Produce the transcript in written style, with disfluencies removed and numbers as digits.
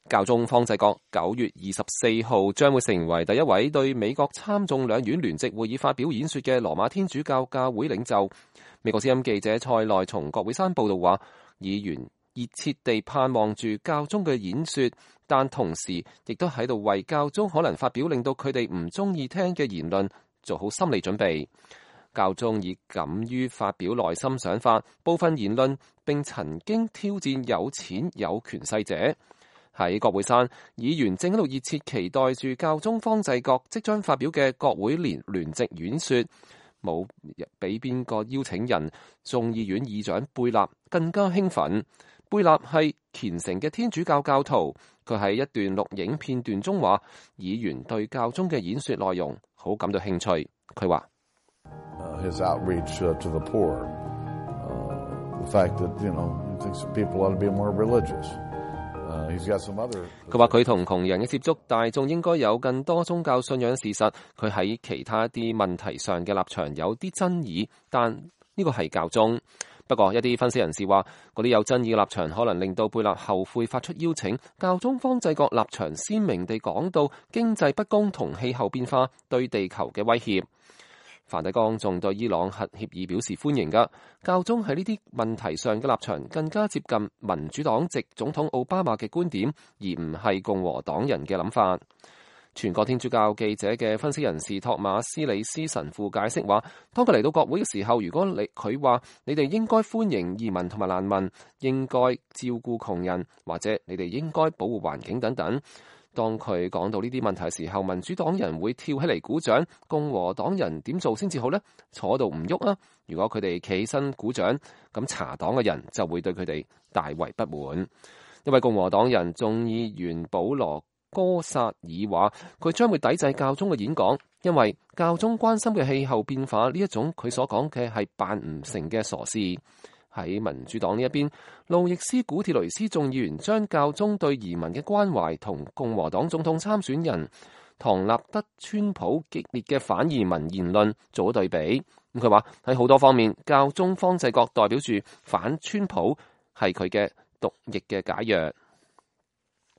教宗方濟各9月24號將會成為第一位對美國參眾兩院聯席會議發表演說嘅羅馬天主教教會領袖。美國之音記者蔡內從國會山報道話，議員熱切地盼望住教宗嘅演說，但同時亦都喺度為教宗可能發表令到佢哋唔中意聽嘅言論做好心理準備。教宗已敢於發表內心想法，部分言論並曾經挑戰有錢有權勢者。喺國會山，議員正喺度熱切期待住教宗方濟各即將發表嘅國會聯席演說，冇比邊個邀請人眾議院議長貝納更加興奮。貝納係虔誠嘅天主教教徒，佢喺一段錄影片段中話，議員對教宗嘅演說內容好感到興趣。佢話：His outreach to the poor, the fact that he thinks people ought to be more religious. 佢話佢同窮人嘅接觸，大眾應該有更多宗教信仰事實。佢喺其他啲問題上嘅立場有啲爭議，但呢個係教宗。不過一啲分析人士話，嗰啲有爭議嘅立場可能令到貝納後悔發出邀請。教宗方濟各立場鮮明地講到經濟不公同氣候變化對地球嘅威脅。梵蒂岡仲對伊朗核協議表示歡迎㗎。教宗喺呢啲問題上嘅立場更加接近民主黨籍總統奧巴馬嘅觀點，而唔係共和黨人嘅諗法。全國天主教記者嘅分析人士托馬斯里斯神父解釋話，當佢嚟到國會嘅時候，如果佢話你哋應該歡迎移民同埋難民，應該照顧窮人，或者你哋應該保護環境等等。當佢講到呢啲問題嘅時候，民主黨人會跳起嚟鼓掌，共和黨人點做先至好呢？坐度唔喐啊！如果佢哋企起身鼓掌，咁查黨嘅人就會對佢哋大為不滿。一位共和黨人眾議員保羅哥薩爾話，佢將會抵制教宗嘅演講，因為教宗關心嘅氣候變化呢一種佢所講嘅係辦唔成嘅傻事。喺民主黨呢一邊，路易斯古鐵雷斯眾議員將教宗對移民嘅關懷同共和黨總統參選人唐納德川普激烈嘅反移民言論做咗對比。佢話喺好多方面，教宗方濟各代表住反川普係佢嘅毒液嘅解藥。